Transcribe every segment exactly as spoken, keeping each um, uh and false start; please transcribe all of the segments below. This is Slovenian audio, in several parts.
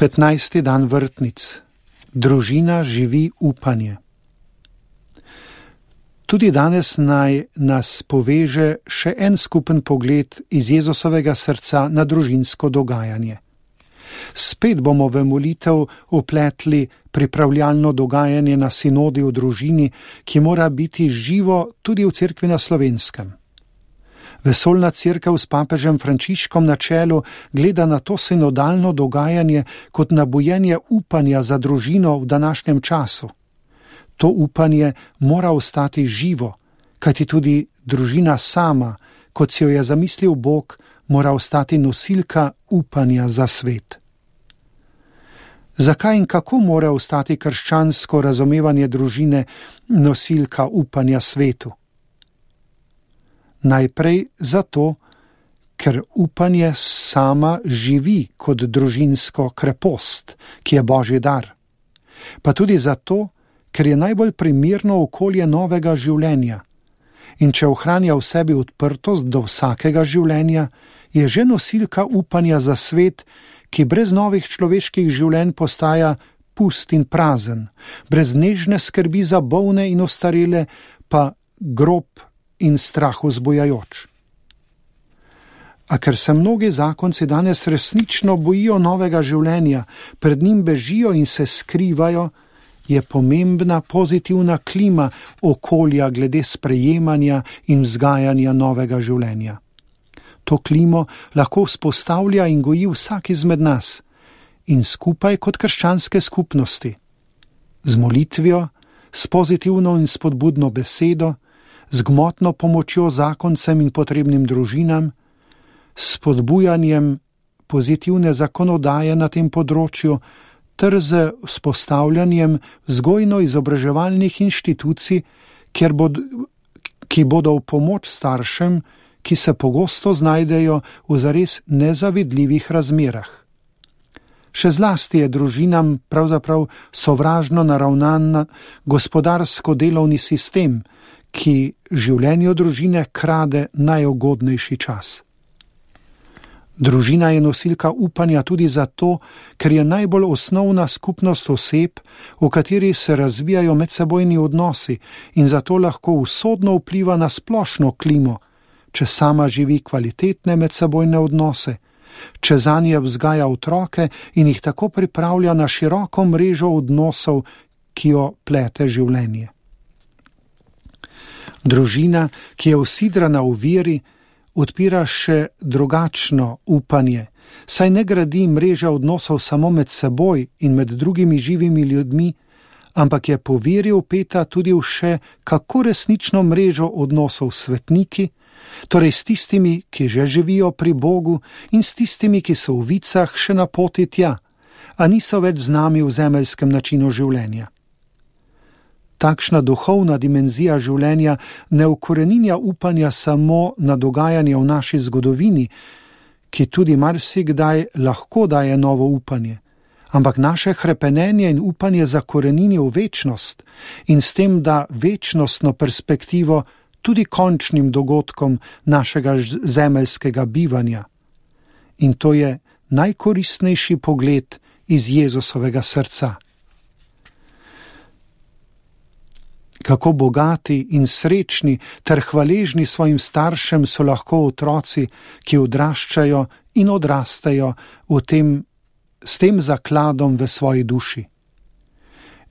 petnajsti dan vrtnic. Družina živi upanje. Tudi danes naj nas poveže še en skupen pogled iz Jezusovega srca na družinsko dogajanje. Spet bomo v molitev upletli pripravljalno dogajanje na sinodi o družini, ki mora biti živo tudi v cerkvi na Slovenskem. Vesoljna cerkev s papežem Frančiškom na čelu gleda na to sinodalno dogajanje kot na bujenje upanja za družino v današnjem času. To upanje mora ostati živo, kajti tudi družina sama, kot si jo je zamislil Bog, mora ostati nosilka upanja za svet. Zakaj in kako mora ostati krščansko razumevanje družine nosilka upanja svetu? Najprej zato, ker upanje sama živi kot družinsko krepost, ki je Božji dar. Pa tudi zato, ker je najbolj primerno okolje novega življenja. In če ohranja v sebi odprtost do vsakega življenja, je že nosilka upanja za svet, ki brez novih človeških življenj postaja pust in prazen, brez nežne skrbi za bolne in ostarele, pa grob in strah vzbujajoč. A ker se mnogi zakonci danes resnično bojijo novega življenja, pred njim bežijo in se skrivajo, je pomembna pozitivna klima okolja glede sprejemanja in vzgajanja novega življenja. To klimo lahko vzpostavlja in goji vsak izmed nas in skupaj kot krščanske skupnosti. Z molitvijo, s pozitivno in spodbudno besedo, z gmotno pomočjo zakoncem in potrebnim družinam, s spodbujanjem pozitivne zakonodaje na tem področju, ter z vzpostavljanjem vzgojno-izobraževalnih inštitucij, kjer bod, ki bodo v pomoč staršem, ki se pogosto znajdejo v zares nezavidljivih razmerah. Še zlasti je družinam pravzaprav sovražno naravnan gospodarsko-delovni sistem, ki življenju družine krade najugodnejši čas. Družina je nosilka upanja tudi zato, ker je najbolj osnovna skupnost oseb, v kateri se razvijajo medsebojni odnosi in zato lahko usodno vpliva na splošno klimo, če sama živi kvalitetne medsebojne odnose, če zanje vzgaja otroke in jih tako pripravlja na široko mrežo odnosov, ki jo plete življenje. Družina, ki je usidrana v veri, odpira še drugačno upanje, saj ne gradi mreže odnosov samo med seboj in med drugimi živimi ljudmi, ampak je po veri vpeta tudi v še kako resnično mrežo odnosov s svetniki, torej s tistimi, ki že živijo pri Bogu in s tistimi, ki so v vicah še na poti tja, a niso več z nami v zemeljskem načinu življenja. Takšna duhovna dimenzija življenja ne ukoreninja upanja samo na dogajanje v naši zgodovini, ki tudi marsikdaj lahko daje novo upanje, ampak naše hrepenenje in upanje zakorenini v večnost in s tem da večnostno perspektivo tudi končnim dogodkom našega zemeljskega bivanja. In to je najkoristnejši pogled iz Jezusovega srca. Kako bogati in srečni ter hvaležni svojim staršem so lahko otroci, ki odraščajo in odrastejo v tem, s tem zakladom v svoji duši.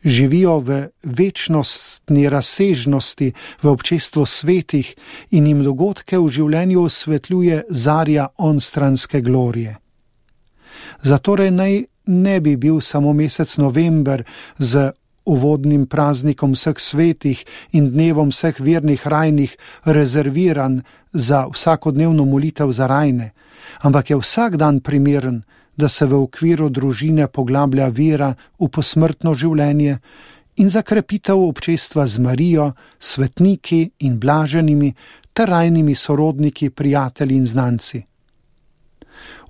Živijo v večnostni razsežnosti v občestvu svetih in jim dogodke v življenju osvetljuje zarja onstranske glorije. Zatorej naj ne bi bil samo mesec november z uvodnim praznikom vseh svetih in dnevom vseh vernih rajnih rezerviran za vsakodnevno molitev za rajne, ampak je vsak dan primeren, da se v okviru družine poglablja vera v posmrtno življenje in za krepitev občestva z Marijo, svetniki in blaženimi ter rajnimi sorodniki, prijatelji in znanci.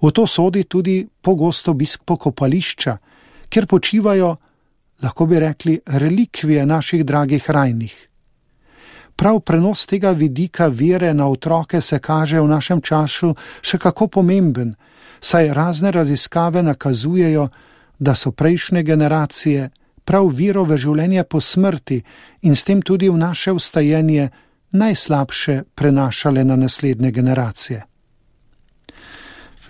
V to sodi tudi pogosto obisk pokopališča, kjer počivajo, lahko bi rekli, relikvije naših dragih rajnih. Prav prenos tega vidika vere na otroke se kaže v našem času še kako pomemben, saj razne raziskave nakazujejo, da so prejšnje generacije prav vero v življenje po smrti in s tem tudi v naše vstajenje najslabše prenašale na naslednje generacije.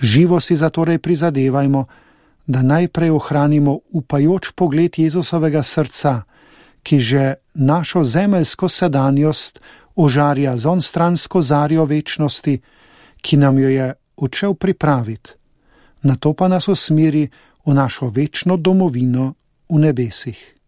Živo si zatorej prizadevajmo, da najprej ohranimo upajoč pogled Jezusovega srca, ki že našo zemeljsko sedanjost ožarja z onstransko zarjo večnosti, ki nam jo je odšel pripraviti, nato pa nas usmeri v našo večno domovino v nebesih.